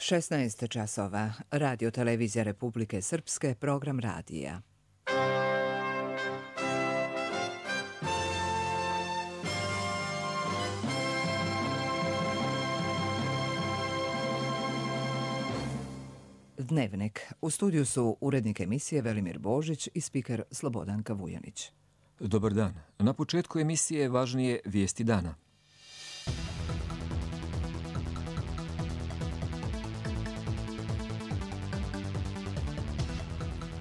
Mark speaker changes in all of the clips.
Speaker 1: 16 časova. Radio Televizija Republike Srpske, program radija. Dnevnik. U studiju su urednik emisije Velimir Božić i spiker Slobodanka Vujanić.
Speaker 2: Dobar dan. Na početku emisije važnije vijesti dana.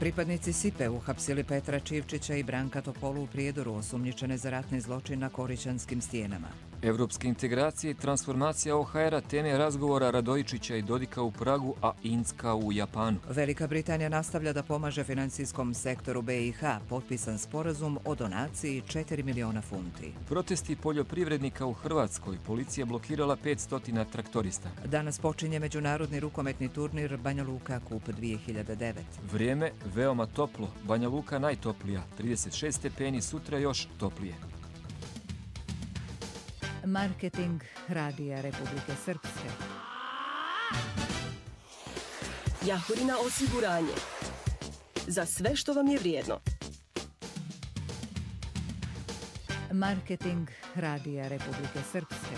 Speaker 1: Pripadnici SIPE uhapsili Petra Čivčića i Branka Topolu u Prijedoru, osumnjičene za ratni zločin na Korićanskim stijenama.
Speaker 2: Evropske integracije i transformacija OHR-a teme razgovora Radojičića i Dodika u Pragu, a Inska u Japanu.
Speaker 1: Velika Britanija nastavlja da pomaže financijskom sektoru BiH, potpisan sporazum o donaciji 4 miliona funti.
Speaker 2: Protesti poljoprivrednika u Hrvatskoj, policija blokirala 500 traktorista.
Speaker 1: Danas počinje međunarodni rukometni turnir Banja Luka Kup 2009.
Speaker 2: Vrijeme veoma toplo, Banja Luka najtoplija, 36 stepeni, sutra još toplije.
Speaker 1: Marketing Radija Republike Srpske.
Speaker 3: Jahorina osiguranje. Za sve što vam je vrijedno.
Speaker 1: Marketing Radija Republike Srpske.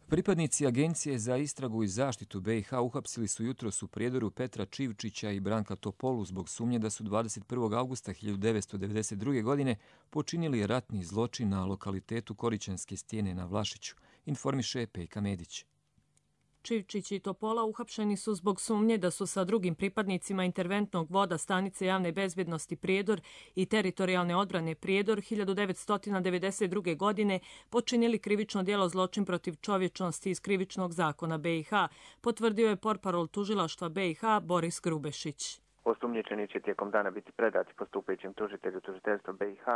Speaker 2: Pripadnici Agencije za istragu i zaštitu BiH uhapsili su jutros u Prijedoru Petra Čivčića i Branka Topolu zbog sumnje da su 21. augusta 1992. godine počinili ratni zločin na lokalitetu Korićanske stijene na Vlašiću, informiše Pejka Medić.
Speaker 4: Čivčić i Topola uhapšeni su zbog sumnje da su sa drugim pripadnicima interventnog voda stanice javne bezbjednosti Prijedor i teritorijalne odbrane Prijedor 1992. godine počinili krivično djelo zločin protiv čovječnosti iz krivičnog zakona BiH, potvrdio je portparol tužilaštva BiH Boris Grubešić.
Speaker 5: Osumnjičeni će tijekom dana biti predati postupajućem tužitelju tužiteljstva BiH,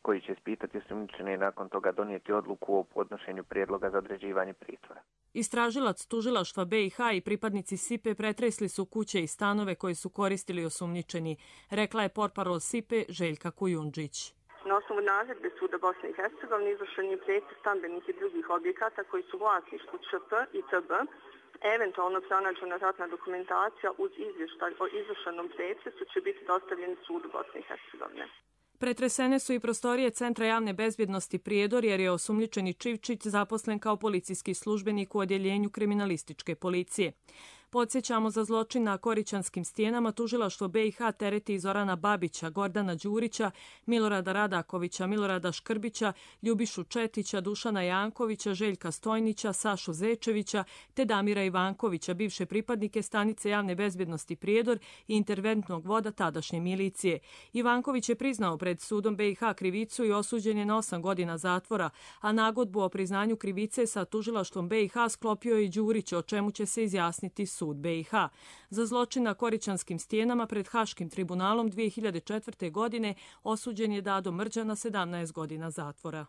Speaker 5: koji će ispitati osumnjičene i nakon toga donijeti odluku o podnošenju prijedloga za određivanje pritvora.
Speaker 4: Istražilac tužilaštva BiH i pripadnici SIPE pretresli su kuće i stanove koje su koristili osumnjičeni, rekla je portparol SIPE Željka Kujundžić.
Speaker 6: Na osnovu naredbe Suda Bosne i Hercegovine izvršen je pretres stambenih i drugih objekata koji su vlasništvu ČP i TB. Eventualno pronađena ratna dokumentacija uz izvještaj o izvršenom pretresu će biti dostavljeni Sudu Bosne i Hercegovine.
Speaker 4: Pretresene su i prostorije Centra javne bezbjednosti Prijedor jer je osumnjičeni Čivčić zaposlen kao policijski službenik u odjeljenju kriminalističke policije. Podsjećamo, za zločin na Korićanskim stijenama tužilaštvo BiH tereti Zorana Babića, Gordana Đurića, Milorada Radakovića, Milorada Škrbića, Ljubišu Četića, Dušana Jankovića, Željka Stojnića, Sašu Zečevića te Damira Ivankovića, bivše pripadnike stanice javne bezbjednosti Prijedor i interventnog voda tadašnje milicije. Ivanković je priznao pred sudom BiH krivicu i osuđen je na 8 godina zatvora, a nagodbu o priznanju krivice sa tužilaštvom BiH sklopio je i Đurić, o čemu će se izjasniti sud BiH. Za zločin na Korićanskim stijenama pred Haškim tribunalom 2004. godine osuđen je Dado Mrđa na 17 godina zatvora.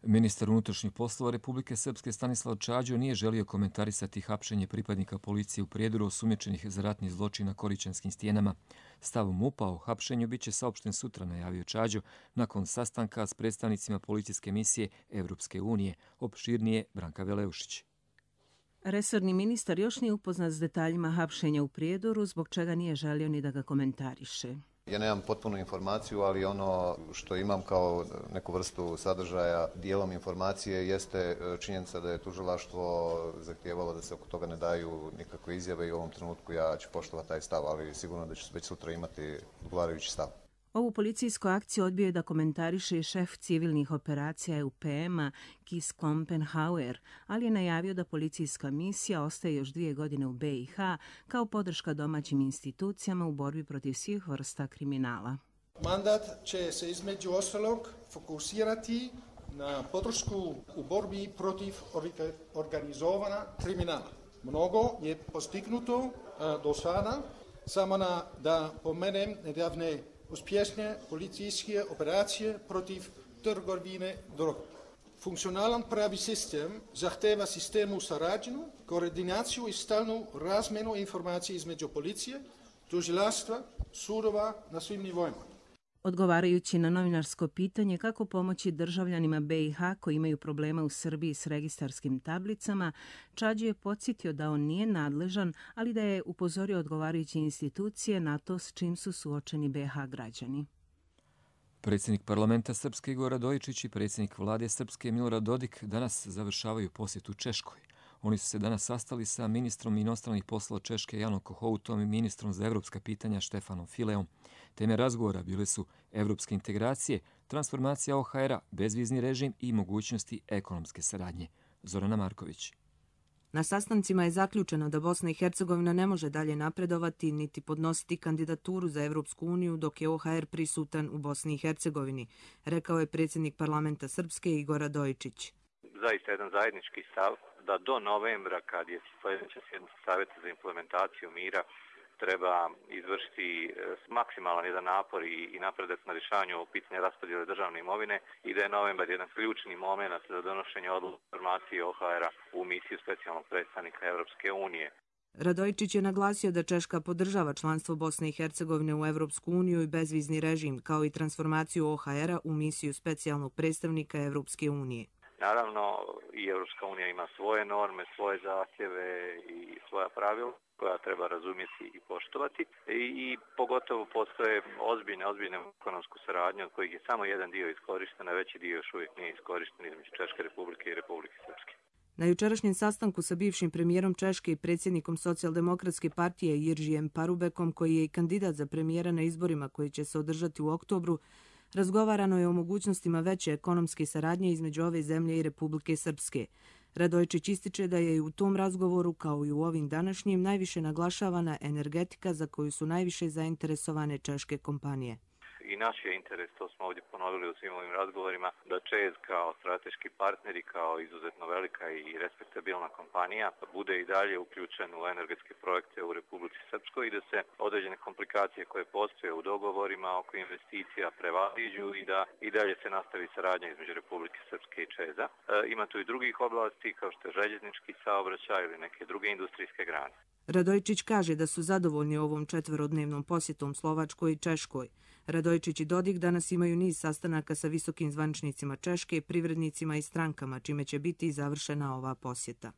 Speaker 2: Ministar unutrašnjih poslova Republike Srpske Stanislav Čađo nije želio komentarisati hapšenje pripadnika policije u Prijedoru osumnjičenih za ratni zločin na Korićanskim stijenama. Stav MUP-a o hapšenju biće saopšten sutra, najavio Čađo, nakon sastanka s predstavnicima policijske misije Evropske unije, opširnije Branka Veleušić.
Speaker 7: Resorni ministar još nije upoznat s detaljima hapšenja u Prijedoru, zbog čega nije želio ni da ga komentariše.
Speaker 8: Ja nemam potpunu informaciju, ali ono što imam kao neku vrstu sadržaja, dijelom informacije, jeste činjenica da je tužilaštvo zahtijevalo da se oko toga ne daju nikakve izjave i u ovom trenutku ja ću poštovati taj stav, ali sigurno da ću već sutra imati odgovarajući stav.
Speaker 7: Ovu policijsku akciju odbio je da komentariše i šef civilnih operacija EUPM-a Kis Klompenhauer, ali je najavio da policijska misija ostaje još 2 godine u BiH kao podrška domaćim institucijama u borbi protiv svih vrsta kriminala.
Speaker 9: Mandat će se između ostalog fokusirati na podršku u borbi protiv organizovana kriminala. Mnogo je postignuto do sada, samo da pomenem nedavne uspješne policijske operacije protiv trgovine drogom. Funkcionalan pravi sistem zahteva sistemnu saradnju, koordinaciju i stalnu razmjenu informacija između policije, tužilaštva, sudova na svim nivoima.
Speaker 7: Odgovarajući na novinarsko pitanje kako pomoći državljanima BiH koji imaju problema u Srbiji s registarskim tablicama, Čađi je podsjetio da on nije nadležan, ali da je upozorio odgovarajuće institucije na to s čim su suočeni BiH građani.
Speaker 2: Predsjednik parlamenta Srpske Igor Radojičić i predsjednik vlade Srpske Milorad Dodik danas završavaju posjetu Češkoj. Oni su se danas sastali sa ministrom inostranih poslova Češke Janom Kohoutom i ministrom za evropska pitanja Štefanom Fileom. Teme razgovora bile su evropske integracije, transformacija OHR-a, bezvizni režim i mogućnosti ekonomske saradnje. Zorana Marković.
Speaker 10: Na sastancima je zaključeno da Bosna i Hercegovina ne može dalje napredovati niti podnositi kandidaturu za Evropsku uniju dok je OHR prisutan u Bosni i Hercegovini, rekao je predsjednik parlamenta Srpske Igor Radojičić.
Speaker 11: Zaista jedan zajednički stav da do novembra, kad je sljedeća sjednica Savjeta za implementaciju mira, treba izvršiti maksimalan jedan napor i napredak na rješavanju pitanja raspodjele državne imovine i da je novembar jedan ključni moment za donošenje odluke formacije OHR-a u misiju specijalnog predstavnika Evropske unije.
Speaker 10: Radojičić je naglasio da Češka podržava članstvo Bosne i Hercegovine u Evropsku uniju i bezvizni režim, kao i transformaciju OHR-a u misiju specijalnog predstavnika Evropske unije.
Speaker 11: Naravno, i Evropska unija ima svoje norme, svoje zahtjeve i svoja pravila koja treba razumjeti i poštovati. I pogotovo postoje ozbiljne ekonomsku saradnju od kojih je samo jedan dio iskorišten, a veći dio još uvijek nije iskorišten između Češke republike i Republike Srpske.
Speaker 10: Na jučerašnjem sastanku sa bivšim premijerom Češke i predsjednikom Socijaldemokratske partije Jiržijem Parubekom, koji je i kandidat za premijera na izborima koji će se održati u oktobru, razgovarano je o mogućnostima veće ekonomske saradnje između ove zemlje i Republike Srpske. Radojičić ističe da je i u tom razgovoru, kao i u ovim današnjim, najviše naglašavana energetika za koju su najviše zainteresovane češke kompanije.
Speaker 11: I naš je interes, to smo ovdje ponovili u svim ovim razgovorima, da ČEZ kao strateški partner i kao izuzetno velika i respektabilna kompanija bude i dalje uključen u energetske projekte u Republici Srpskoj i da se određene komplikacije koje postoje u dogovorima oko investicija prevaziđu i da i dalje se nastavi saradnja između Republike Srpske i ČEZ-a. Ima tu i drugih oblasti kao što je željeznički saobraćaj ili neke druge industrijske grane.
Speaker 10: Radojičić kaže da su zadovoljni ovom četverodnevnom posjetom Slovačkoj i Češkoj. Radojičić i Dodik danas imaju niz sastanaka sa visokim zvaničnicima Češke, privrednicima i strankama, čime će biti završena ova posjeta.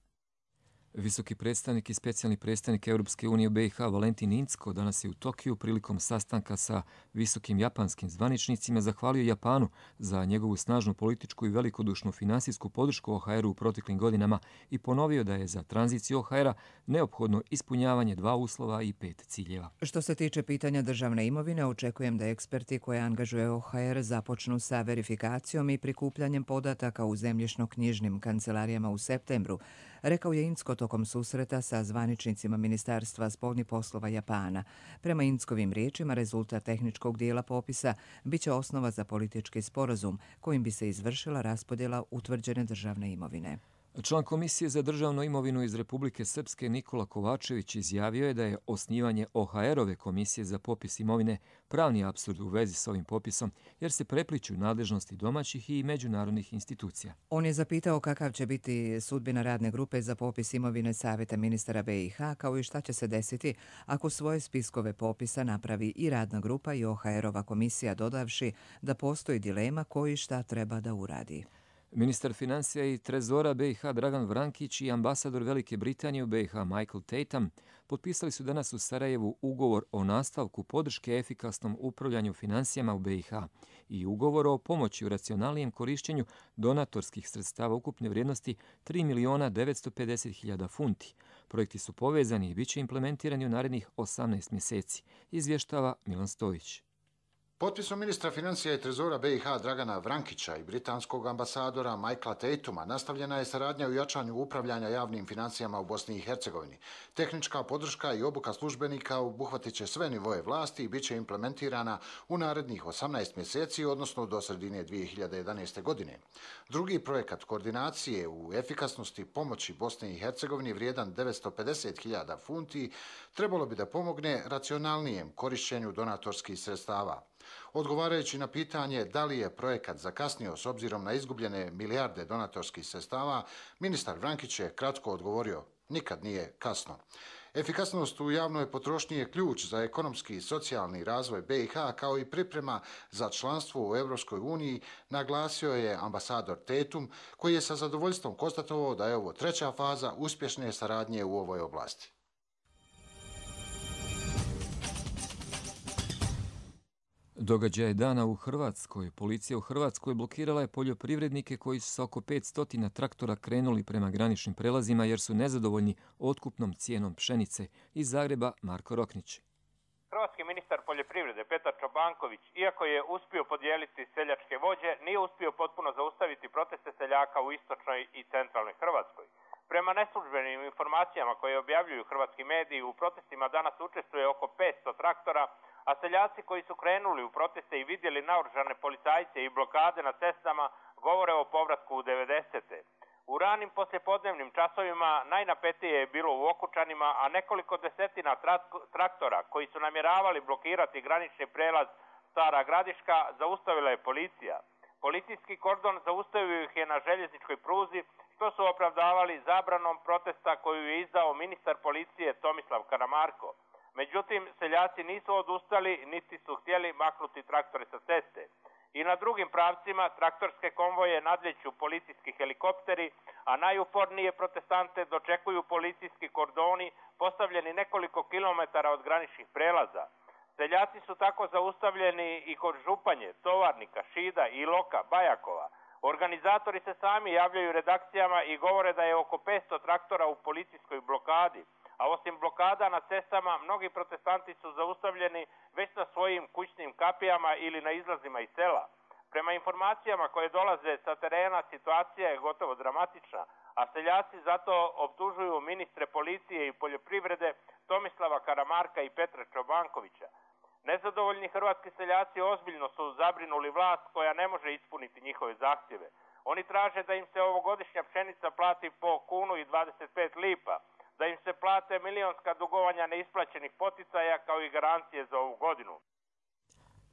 Speaker 2: Visoki predstavnik i specijalni predstavnik Europske unije u BiH Valentin Incko danas je u Tokiju prilikom sastanka sa visokim japanskim zvaničnicima zahvalio Japanu za njegovu snažnu političku i velikodušnu finansijsku podršku OHR-u u proteklim godinama i ponovio da je za tranziciju OHR-a neophodno ispunjavanje 2 uslova i 5 ciljeva.
Speaker 1: Što se tiče pitanja državne imovine, očekujem da eksperti koje angažuje OHR započnu sa verifikacijom i prikupljanjem podataka u zemljišno-knjižnim kancelarijama u septembru, rekao je Incko tokom susreta sa zvaničnicima Ministarstva spoljnih poslova Japana. Prema Inckovim riječima, rezultat tehničkog dijela popisa biće osnova za politički sporazum kojim bi se izvršila raspodjela utvrđene državne imovine.
Speaker 2: Član Komisije za državnu imovinu iz Republike Srpske Nikola Kovačević izjavio je da je osnivanje OHR-ove komisije za popis imovine pravni apsurd u vezi s ovim popisom, jer se prepliću nadležnosti domaćih i međunarodnih institucija.
Speaker 1: On je zapitao kakav će biti sudbina radne grupe za popis imovine Savjeta ministara BiH, kao i šta će se desiti ako svoje spiskove popisa napravi i radna grupa i OHR-ova komisija, dodavši da postoji dilema koji šta treba da uradi.
Speaker 2: Ministar financija i trezora BiH Dragan Vrankić i ambasador Velike Britanije u BiH Michael Tatum potpisali su danas u Sarajevu ugovor o nastavku podrške efikasnom upravljanju financijama u BiH i ugovor o pomoći u racionalnijem korišćenju donatorskih sredstava ukupne vrijednosti 3.950.000 funti. Projekti su povezani i bit će implementirani u narednih 18 mjeseci, izvještava Milan Stojić.
Speaker 12: Potpisom ministra financija i trezora BiH Dragana Vrankića i britanskog ambasadora Michaela Tatuma nastavljena je saradnja u jačanju upravljanja javnim financijama u Bosni i Hercegovini. Tehnička podrška i obuka službenika obuhvatit će sve nivoje vlasti i bit će implementirana u narednih 18 mjeseci, odnosno do sredine 2011. godine. Drugi projekat koordinacije u efikasnosti pomoći Bosni i Hercegovini vrijedan 950.000 funti trebalo bi da pomogne racionalnijem korišćenju donatorskih sredstava. Odgovarajući na pitanje da li je projekat zakasnio s obzirom na izgubljene milijarde donatorskih sredstava, ministar Vrankić je kratko odgovorio: nikad nije kasno. Efikasnost u javnoj potrošnji je ključ za ekonomski i socijalni razvoj BiH kao i priprema za članstvo u Europskoj uniji, naglasio je ambasador Tetum, koji je sa zadovoljstvom konstatovao da je ovo treća faza uspješne saradnje u ovoj oblasti.
Speaker 2: Događaj dana u Hrvatskoj. Policija u Hrvatskoj blokirala je poljoprivrednike koji su sa oko 500 traktora krenuli prema graničnim prelazima jer su nezadovoljni otkupnom cijenom pšenice. Iz Zagreba Marko Roknić.
Speaker 13: Hrvatski ministar poljoprivrede Petar Čobanković, iako je uspio podijeliti seljačke vođe, nije uspio potpuno zaustaviti proteste seljaka u istočnoj i centralnoj Hrvatskoj. Prema neslužbenim informacijama koje objavljuju hrvatski mediji, u protestima danas učestvuje oko 500 traktora, a seljaci koji su krenuli u proteste i vidjeli naoružane policajce i blokade na cestama govore o povratku u 90. U ranim poslijepodnevnim časovima najnapetije je bilo u Okučanima, a nekoliko desetina traktora koji su namjeravali blokirati granični prelaz Stara Gradiška zaustavila je policija. Policijski kordon zaustavio ih je na željezničkoj pruzi, što su opravdavali zabranom protesta koju je izdao ministar policije Tomislav Karamarko. Međutim, seljaci nisu odustali, niti su htjeli maknuti traktore sa ceste. I na drugim pravcima traktorske konvoje nadlijeću policijski helikopteri, a najupornije protestante dočekuju policijski kordoni postavljeni nekoliko kilometara od graničnih prelaza. Seljaci su tako zaustavljeni i kod Županje, Tovarnika, Šida, Iloka, Bajakova. Organizatori se sami javljaju redakcijama i govore da je oko 500 traktora u policijskoj blokadi. A osim blokada na cestama, mnogi protestanti su zaustavljeni već na svojim kućnim kapijama ili na izlazima iz sela. Prema informacijama koje dolaze sa terena, situacija je gotovo dramatična, a seljaci zato optužuju ministre policije i poljoprivrede Tomislava Karamarka i Petra Čobankovića. Nezadovoljni hrvatski seljaci ozbiljno su zabrinuli vlast koja ne može ispuniti njihove zahtjeve. Oni traže da im se ovogodišnja pšenica plati po 1,25 lipa, da im se plate milionska dugovanja neisplaćenih poticaja kao i garancije za ovu godinu.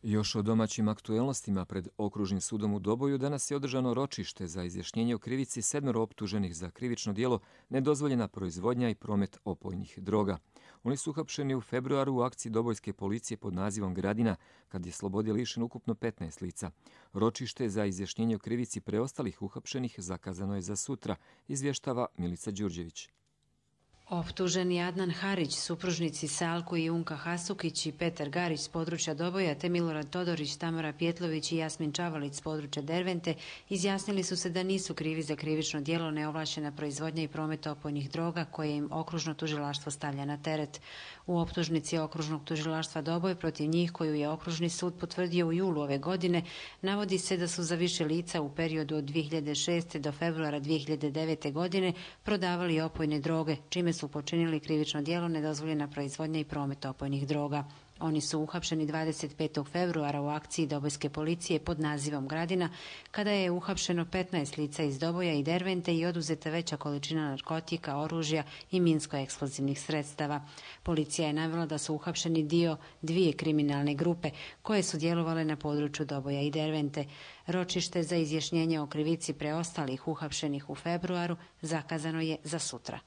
Speaker 2: Još o domaćim aktuelnostima pred Okružnim sudom u Doboju danas je održano ročište za izjašnjenje o krivici 7 optuženih za krivično djelo nedozvoljena proizvodnja i promet opojnih droga. Oni su uhapšeni u februaru u akciji dobojske policije pod nazivom Gradina, kad je slobode lišen ukupno 15 lica. Ročište za izjašnjenje o krivici preostalih uhapšenih zakazano je za sutra, izvještava Milica Đurđević.
Speaker 14: Optuženi Adnan Harić, supružnici Salku i Unka Hasukić i Petar Garić s područja Doboja, te Milorad Todorić, Tamara Pjetlović i Jasmin Čavalić s područja Dervente izjasnili su se da nisu krivi za krivično djelo neovlašćena proizvodnja i promet opojnih droga koje im okružno tužilaštvo stavlja na teret. U optužnici okružnog tužilaštva Doboj protiv njih, koju je okružni sud potvrdio u julu ove godine, navodi se da su za više lica u periodu od 2006. do februara 2009. godine prodavali opojne droge, čime su počinili krivično djelo nedozvoljena proizvodnja i promet opojnih droga. Oni su uhapšeni 25. februara u akciji dobojske policije pod nazivom Gradina, kada je uhapšeno 15 lica iz Doboja i Dervente i oduzeta veća količina narkotika, oružja i minsko-eksplozivnih sredstava. Policija je navela da su uhapšeni dio dvije kriminalne grupe koje su djelovale na području Doboja i Dervente. Ročište za izjašnjenje o krivici preostalih uhapšenih u februaru zakazano je za sutra.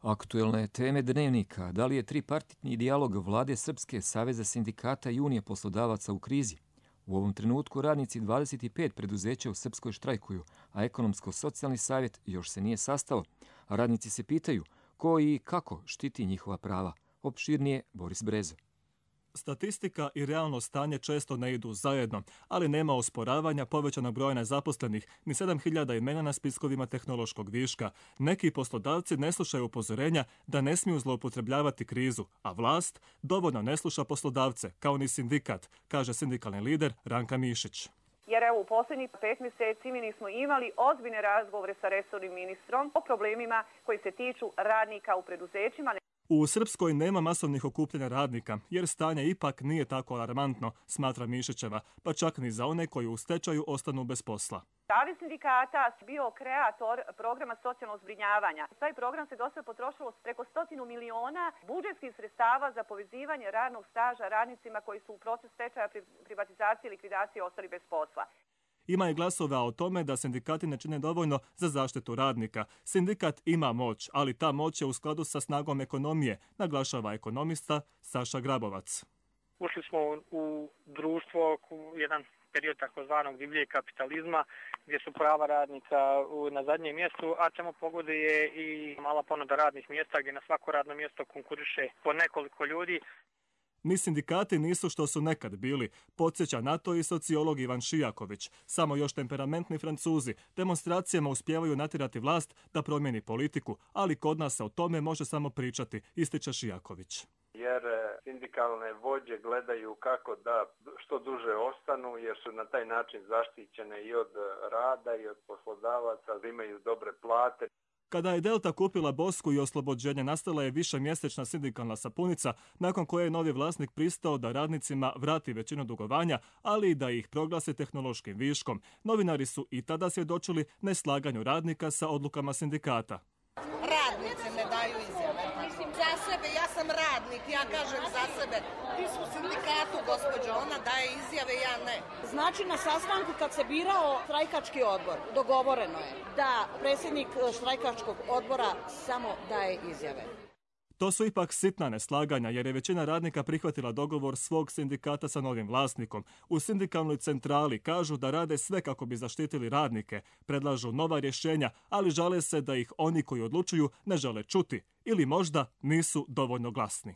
Speaker 2: Aktuelne teme dnevnika. Da li je tripartitni dijalog vlade Srpske, Saveza sindikata i Unije poslodavaca u krizi? U ovom trenutku radnici 25 preduzeća u Srpskoj štrajkuju, a ekonomsko-socijalni savjet još se nije sastao. Radnici se pitaju ko i kako štiti njihova prava. Opširnije Boris Brezo.
Speaker 15: Statistika i realno stanje često ne idu zajedno, ali nema osporavanja povećanog broja nezaposlenih, ni 7.000 imena na spiskovima tehnološkog viška. Neki poslodavci ne slušaju upozorenja da ne smiju zloupotrebljavati krizu, a vlast dovoljno ne sluša poslodavce, kao ni sindikat, kaže sindikalni lider Ranka Mišić.
Speaker 16: Jer evo u posljednjih 5 mjeseci mi nismo imali ozbiljne razgovore sa resornim ministrom o problemima koji se tiču radnika u preduzećima.
Speaker 15: U Srpskoj nema masovnih okupljanja radnika, jer stanje ipak nije tako alarmantno, smatra Mišićeva, pa čak ni za one koji u stečaju ostanu bez posla.
Speaker 16: Savez sindikata bio kreator programa socijalnog zbrinjavanja. Taj program se do sada potrošilo preko 100 miliona budžetskih sredstava za povezivanje radnog staža radnicima koji su u procesu stečaja, privatizacije i likvidacije ostali bez posla.
Speaker 15: Ima i glasova o tome da sindikati ne čine dovoljno za zaštitu radnika. Sindikat ima moć, ali ta moć je u skladu sa snagom ekonomije, naglašava ekonomista Saša Grabovac.
Speaker 17: Ušli smo u društvo, jedan period takozvanog divljeg kapitalizma, gdje su prava radnika na zadnjem mjestu, a čemu pogoduje i mala ponuda radnih mjesta, gdje na svako radno mjesto konkuriše po nekoliko ljudi.
Speaker 15: Ni sindikati nisu što su nekad bili, podsjeća na to i sociolog Ivan Šijaković. Samo još temperamentni Francuzi demonstracijama uspijevaju natjerati vlast da promijeni politiku, ali kod nas se o tome može samo pričati, ističe Šijaković.
Speaker 18: Jer sindikalne vođe gledaju kako da što duže ostanu, jer su na taj način zaštićene i od rada i od poslodavaca, imaju dobre plate.
Speaker 15: Kada je Delta kupila Bosku i oslobođenje, nastala je višemjesečna sindikalna sapunica, nakon koje je novi vlasnik pristao da radnicima vrati većinu dugovanja, ali i da ih proglasi tehnološkim viškom. Novinari su i tada svjedočili neslaganju radnika sa odlukama sindikata.
Speaker 19: Radnice ne daju izjave. Za sebe, ja sam radnik, ja kažem za sebe. Ti su u sindikatu, gospođo, ona daje izjave, ja ne.
Speaker 20: Znači, na sastanku kad se birao štrajkački odbor, dogovoreno je da predsjednik štrajkačkog odbora samo daje izjave.
Speaker 15: To su ipak sitna neslaganja, jer je većina radnika prihvatila dogovor svog sindikata sa novim vlasnikom. U sindikalnoj centrali kažu da rade sve kako bi zaštitili radnike, predlažu nova rješenja, ali žale se da ih oni koji odlučuju ne žele čuti ili možda nisu dovoljno glasni.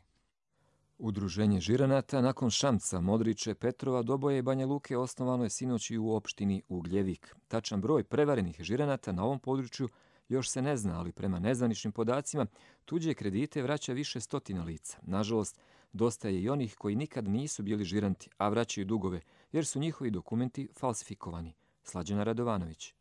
Speaker 2: Udruženje žiranata nakon Šamca, Modriče, Petrova, Doboja i Banja Luke osnovano je sinoć i u opštini Ugljevik. Tačan broj prevarenih žiranata na ovom području još se ne zna, ali prema nezvaničnim podacima tuđe kredite vraća više stotina lica. Nažalost, dosta je i onih koji nikad nisu bili žiranti, a vraćaju dugove, jer su njihovi dokumenti falsifikovani. Slađana Radovanović.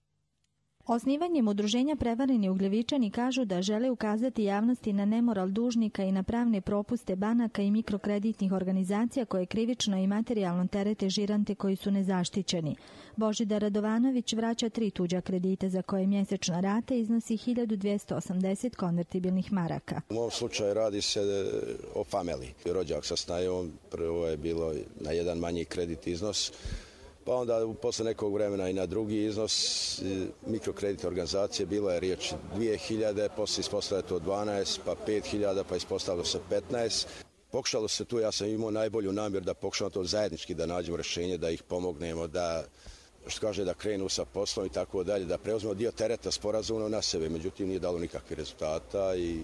Speaker 21: Osnivanjem udruženja prevareni Ugljevičani kažu da žele ukazati javnosti na nemoral dužnika i na pravne propuste banaka i mikrokreditnih organizacija koje krivično i materijalno terete žirante koji su nezaštićeni. Božidar Radovanović vraća 3 tuđa kredita za koje mjesečna rata iznosi 1280 konvertibilnih maraka.
Speaker 22: U ovom slučaju radi se o familiji. Rođak sa snajom, prvo je bilo na jedan manji kredit iznos, pa onda posle nekog vremena i na drugi iznos mikrokreditne organizacije. Bilo je riječ 2000, poslije ispostavilo to 12, pa 5000, pa ispostavilo se 15. Pokušalo se tu, ja sam imao najbolju namjer da pokušamo to zajednički da nađemo rješenje, da ih pomognemo, da da krenu sa poslom i tako dalje, da preuzmemo dio tereta sporazumno na sebe. Međutim, nije dalo nikakvih rezultata i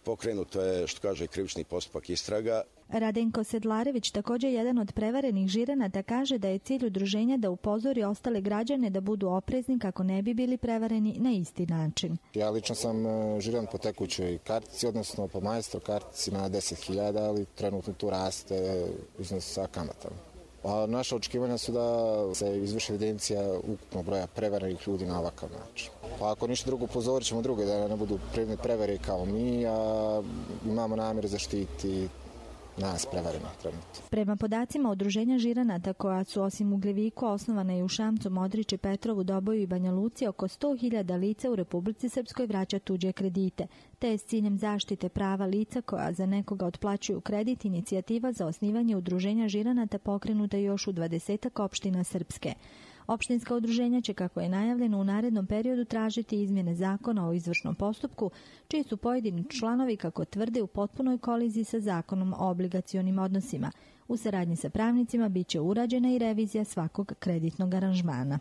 Speaker 22: pokrenuto je, krivični postupak istraga.
Speaker 21: Radenko Sedlarević, također jedan od prevarenih žiranata, kaže da je cilj udruženja da upozori ostale građane da budu oprezni kako ne bi bili prevareni na isti način.
Speaker 23: Ja lično sam žiran po tekućoj kartici, odnosno po majstor kartici na 10.000, ali trenutno tu raste iznos sa kamatama. A naša očekivanja su da se izvrši evidencija ukupnog broja prevarenih ljudi na ovakav način. Pa ako ništa drugo, upozorit ćemo druge da ne budu prevare kao mi, a imamo namjer zaštiti nas prevareno trenutno.
Speaker 21: Prema podacima udruženja žiranata koja su osim Ugljeviku osnovana i u Šamcu, Modriči, Petrovu, Doboju i Banja Luci, oko 100.000 lica u Republici Srpskoj vraća tuđe kredite, te je s ciljem zaštite prava lica koja za nekoga otplaćuju kredit inicijativa za osnivanje udruženja žiranata pokrenuta još u 20 opština Srpske. Opštinska udruženja će, kako je najavljeno, u narednom periodu tražiti izmjene zakona o izvršnom postupku, čiji su pojedini članovi, kako tvrde, u potpunoj koliziji sa zakonom o obligacionim odnosima. U saradnji sa pravnicima bit će urađena i revizija svakog kreditnog aranžmana.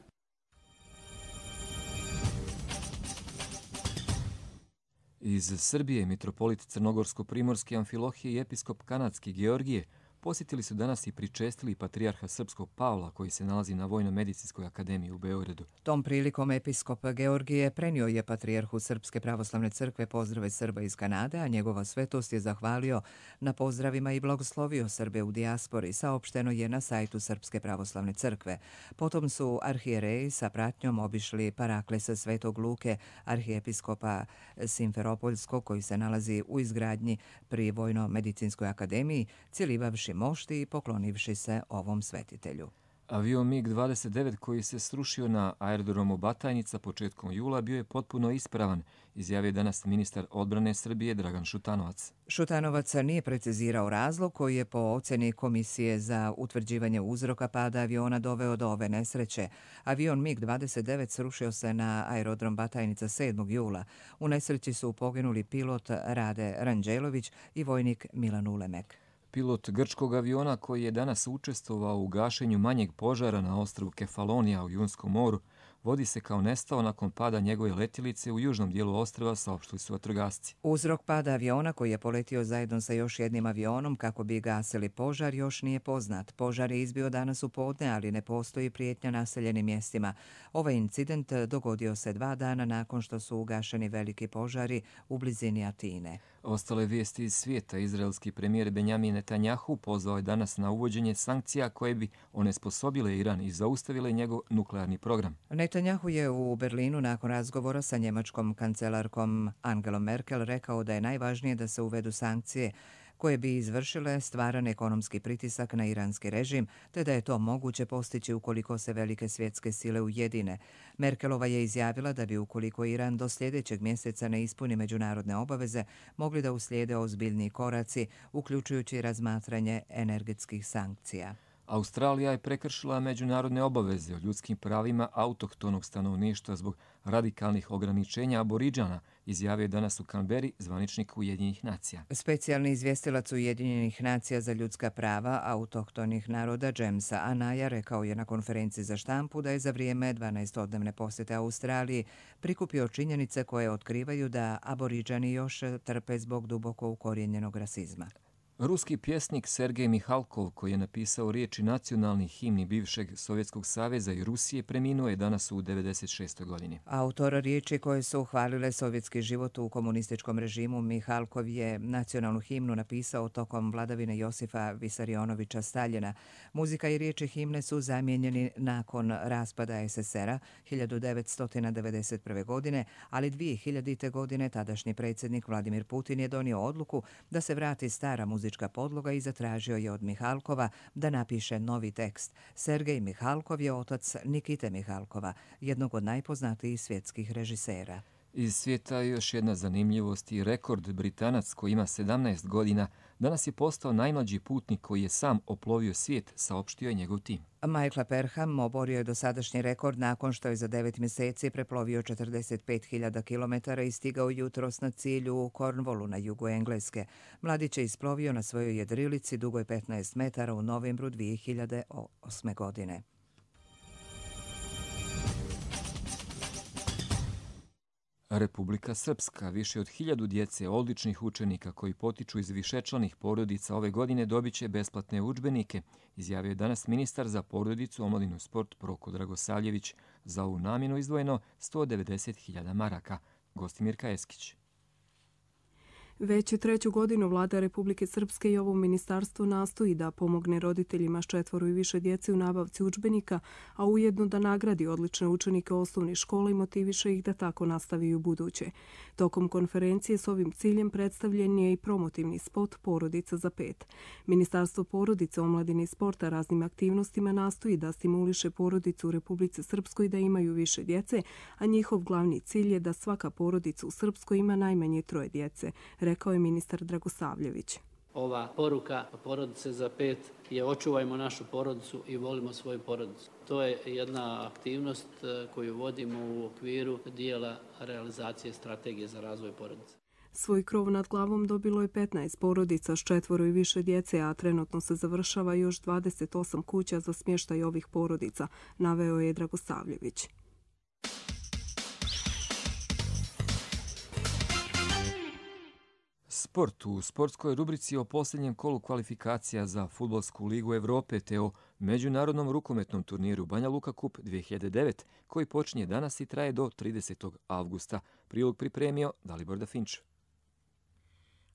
Speaker 2: Iz Srbije mitropolit Crnogorsko-primorski Amfilohije i episkop kanadski Georgije posjetili su danas i pričestili patrijarha srpskog Pavla koji se nalazi na Vojno-medicinskoj akademiji u Beogradu.
Speaker 1: Tom prilikom episkop Georgije prenio je patrijarhu Srpske pravoslavne crkve pozdrave Srba iz Kanade, a njegova svetost je zahvalio na pozdravima i blagoslovio Srbe u dijaspori, saopšteno je na sajtu Srpske pravoslavne crkve. Potom su arhijereji sa pratnjom obišli paraklesa Svetog Luke, arhijepiskopa Simferopoljskog, koji se nalazi u izgradnji pri Vojno-medicinskoj akademiji, cijelivavši mošti i poklonivši se ovom svetitelju.
Speaker 2: Avion MiG-29 koji se srušio na aerodromu Batajnica početkom jula bio je potpuno ispravan, izjavio danas ministar odbrane Srbije Dragan Šutanovac.
Speaker 1: Šutanovac nije precizirao razlog koji je po ocjeni Komisije za utvrđivanje uzroka pada aviona doveo do ove nesreće. Avion MiG-29 srušio se na aerodrom Batajnica 7. jula. U nesreći su poginuli pilot Rade Ranđelović i vojnik Milan Ulemek.
Speaker 2: Pilot grčkog aviona koji je danas učestvovao u gašenju manjeg požara na ostrvu Kefalonija u Jonskom moru vodi se kao nestao nakon pada njegove letjelice u južnom dijelu ostrva, saopštili su vatrogasci.
Speaker 1: Uzrok pada aviona koji je poletio zajedno sa još jednim avionom kako bi gasili požar još nije poznat. Požar je izbio danas u podne, ali ne postoji prijetnja naseljenim mjestima. Ovaj incident dogodio se 2 dana nakon što su ugašeni veliki požari u blizini Atine.
Speaker 2: Ostale vijesti iz svijeta. Izraelski premijer Benjamin Netanjahu pozvao je danas na uvođenje sankcija koje bi onesposobile Iran i zaustavile njegov nuklearni program.
Speaker 1: Netanjahu je u Berlinu nakon razgovora sa njemačkom kancelarkom Angelom Merkel rekao da je najvažnije da se uvedu sankcije koje bi izvršile stvaran ekonomski pritisak na iranski režim, te da je to moguće postići ukoliko se velike svjetske sile ujedine. Merkelova je izjavila da bi ukoliko Iran do sljedećeg mjeseca ne ispuni međunarodne obaveze, mogli da uslijede ozbiljni koraci, uključujući razmatranje energetskih sankcija.
Speaker 2: Australija je prekršila međunarodne obaveze o ljudskim pravima autohtonog stanovništva zbog radikalnih ograničenja Aboriđana, izjavio je danas u Canberri zvaničnik Ujedinjenih nacija.
Speaker 1: Specijalni izvjestilac Ujedinjenih nacija za ljudska prava autohtonih naroda Jamesa Anaya rekao je na konferenciji za štampu da je za vrijeme 12-dnevne posjete Australiji prikupio činjenice koje otkrivaju da Aboriđani još trpe zbog duboko ukorijenjenog rasizma.
Speaker 2: Ruski pjesnik Sergej Mihalkov, koji je napisao riječi nacionalnih himni bivšeg Sovjetskog saveza i Rusije, preminuo je danas u 96. godini.
Speaker 1: Autor riječi koje su uhvalile sovjetski život u komunističkom režimu, Mihalkov je nacionalnu himnu napisao tokom vladavine Josifa Visarionovića Staljina. Muzika i riječi himne su zamijenjeni nakon raspada SSR-a 1991. godine, ali 2000. godine tadašnji predsjednik Vladimir Putin je donio odluku da se vrati stara muzička podloga i zatražio je od Mihalkova da napiše novi tekst. Sergej Mihalkov je otac Nikite Mihalkova, jednog od najpoznatijih svjetskih režisera.
Speaker 2: Iz svijeta je još jedna zanimljivost i rekord. Britanac koji ima 17 godina danas je postao najmlađi putnik koji je sam oplovio svijet, saopštio je njegov tim.
Speaker 1: Michael Perham oborio je dosadašnji rekord nakon što je za 9 mjeseci preplovio 45.000 km i stigao jutros na cilju u Cornwallu na jugu Engleske. Mladić je isplovio na svojoj jedrilici dugoj 15 metara u novembru 2008. godine.
Speaker 2: Republika Srpska. Više od 1000 djece odličnih učenika koji potiču iz višečlanih porodica ove godine dobit će besplatne udžbenike, izjavio je danas ministar za porodicu, omladinu i sport Proko Dragosavljević. Za ovu namjenu izdvojeno 190.000 maraka. Gostimirka Eskić.
Speaker 4: Već 3. godinu vlada Republike Srpske i ovo ministarstvo nastoji da pomogne roditeljima s 4 i više djece u nabavci udžbenika, a ujedno da nagradi odlične učenike osnovnih škola i motiviše ih da tako nastavi u buduće. Tokom konferencije s ovim ciljem predstavljen je i promotivni spot Porodica za 5. Ministarstvo porodice, omladine i sporta raznim aktivnostima nastoji da stimuliše porodicu u Republici Srpskoj da imaju više djece, a njihov glavni cilj je da svaka porodica u Srpskoj ima najmanje 3 djece, rekao je ministar Dragosavljević.
Speaker 3: Ova poruka Porodice za 5 je očuvajmo našu porodicu i volimo svoju porodicu. To je jedna aktivnost koju vodimo u okviru dijela realizacije strategije za razvoj porodice.
Speaker 4: Svoj krov nad glavom dobilo je 15 porodica s 4 i više djece, a trenutno se završava još 28 kuća za smještaj ovih porodica, naveo je Dragosavljević.
Speaker 2: Sport. U sportskoj rubrici o posljednjem kolu kvalifikacija za Fudbalsku ligu Evrope te o međunarodnom rukometnom turniru Banja Luka Cup 2009 koji počinje danas i traje do 30. avgusta. Prilog pripremio Dalibor Dafinč.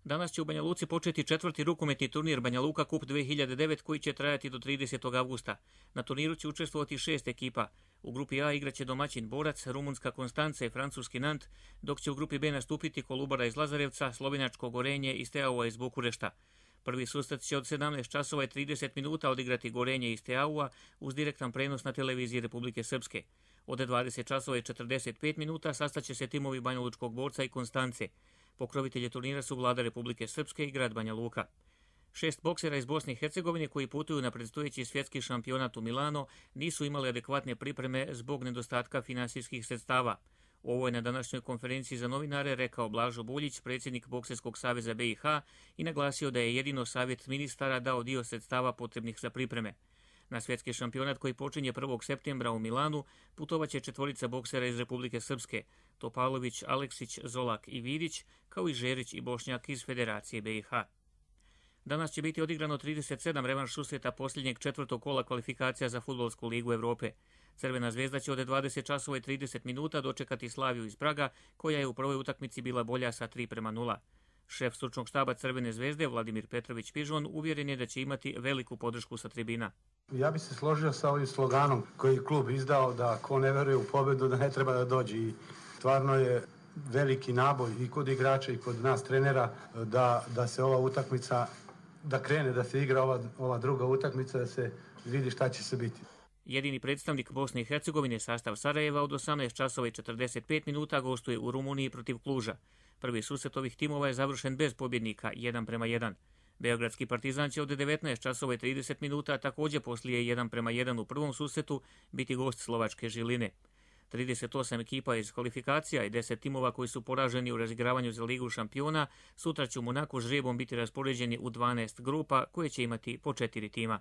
Speaker 5: Danas će u Banja Luci početi 4. rukometni turnir Banja Luka Cup 2009 koji će trajati do 30. avgusta. Na turniru će učestvovati 6 ekipa. U grupi A igraće domaćin Borac, rumunska Konstanca i francuski Nant, dok će u grupi B nastupiti Kolubara iz Lazarevca, slovenačko Gorenje i Steaua iz Bukurešta. Prvi susret će od 17 časova i 30 minuta odigrati Gorenje iz Steaua uz direktan prenos na televiziji Republike Srpske. Od 20 časova i 45 minuta sastaće se timovi Banjalučkog Borca i Konstance. Pokrovitelji turnira su Vlada Republike Srpske i grad Banja Luka. 6 boksera iz Bosne i Hercegovine koji putuju na predstojeći svjetski šampionat u Milano nisu imali adekvatne pripreme zbog nedostatka finansijskih sredstava. Ovo je na današnjoj konferenciji za novinare rekao Blažo Buljić, predsjednik Bokserskog saveza BiH, i naglasio da je jedino savjet ministara dao dio sredstava potrebnih za pripreme. Na svjetski šampionat koji počinje 1. septembra u Milanu putovaće 4 boksera iz Republike Srpske, Topalović, Aleksić, Zolak i Vidić, kao i Žerić i Bošnjak iz Federacije BiH. Danas će biti odigrano 37 revanš susreta posljednjeg 4. kola kvalifikacija za Fudbalsku ligu Evrope. Crvena zvezda će od 20 časova i 30 minuta dočekati Slaviju iz Praga, koja je u prvoj utakmici bila bolja sa 3:0. Šef stručnog štaba Crvene zvezde, Vladimir Petrović Pižon, uvjeren je da će imati veliku podršku sa tribina.
Speaker 6: Ja bih se složio sa ovim sloganom koji je klub izdao, da ko ne veruje u pobjedu da ne treba da dođe. I stvarno je veliki naboj i kod igrača i kod nas trenera da se ova utakmica, da krene, da se igra ova druga utakmica, da se vidi šta će se biti.
Speaker 5: Jedini predstavnik Bosne i Hercegovine, sastav Sarajeva, od 18 časova i 45 minuta gostuje u Rumuniji protiv Kluža. Prvi susret ovih timova je završen bez pobjednika, 1:1. Beogradski Partizan će od 19 časova i 30 minuta također poslije 1:1 u prvom susretu biti gost slovačke Žiline. 38 ekipa iz kvalifikacija i 10 timova koji su poraženi u razigravanju za Ligu šampiona sutra će u Monaku žrebom biti raspoređeni u 12 grupa koje će imati po 4 tima.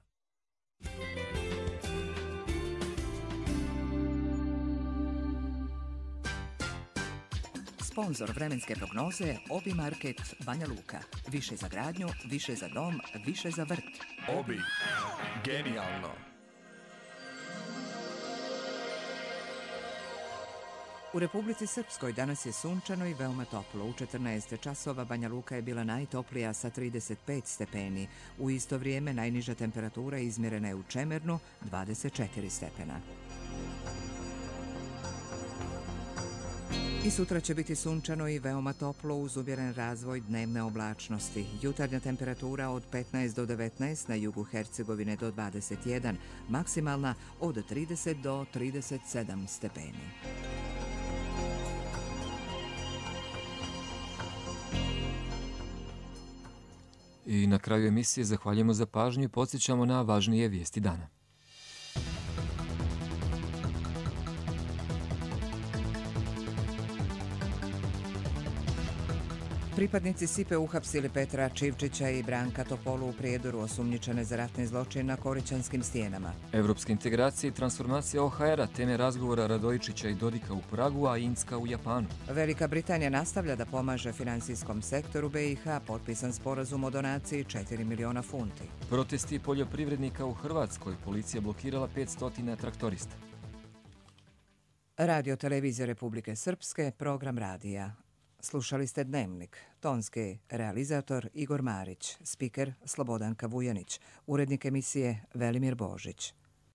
Speaker 1: Sponzor vremenske prognoze Obi Market Banja Luka. Više za gradnju, više za dom, više za vrt.
Speaker 8: Obi. Genijalno.
Speaker 1: U Republici Srpskoj danas je sunčano i veoma toplo. U 14 časova Banja Luka je bila najtoplija sa 35 stepeni. U isto vrijeme najniža temperatura izmjerena je u Čemernu, 24 stepena. I sutra će biti sunčano i veoma toplo uz umjeren razvoj dnevne oblačnosti. Jutarnja temperatura od 15 do 19, na jugu Hercegovine do 21, maksimalna od 30 do 37 stepeni.
Speaker 2: I na kraju emisije zahvaljujemo za pažnju i podsjećamo na važnije vijesti dana.
Speaker 1: Pripadnici SIPE uhapsili Petra Čivčića i Branka Topolu u Prijedoru, osumnjičene za ratni zločin na Korićanskim stijenama.
Speaker 2: Evropska integracija i transformacija OHR-a, teme razgovora Radojičića i Dodika u Pragu, a Inska u Japanu.
Speaker 1: Velika Britanija nastavlja da pomaže finansijskom sektoru BiH, potpisan sporazum o donaciji 4 miliona funti.
Speaker 2: Protesti poljoprivrednika u Hrvatskoj, policija blokirala 500 traktorista.
Speaker 1: Radio televizija Republike Srpske, program radija. Slušali ste Dnevnik. Tonski realizator Igor Marić, spiker Slobodanka Vujanić, urednik emisije Velimir Božić.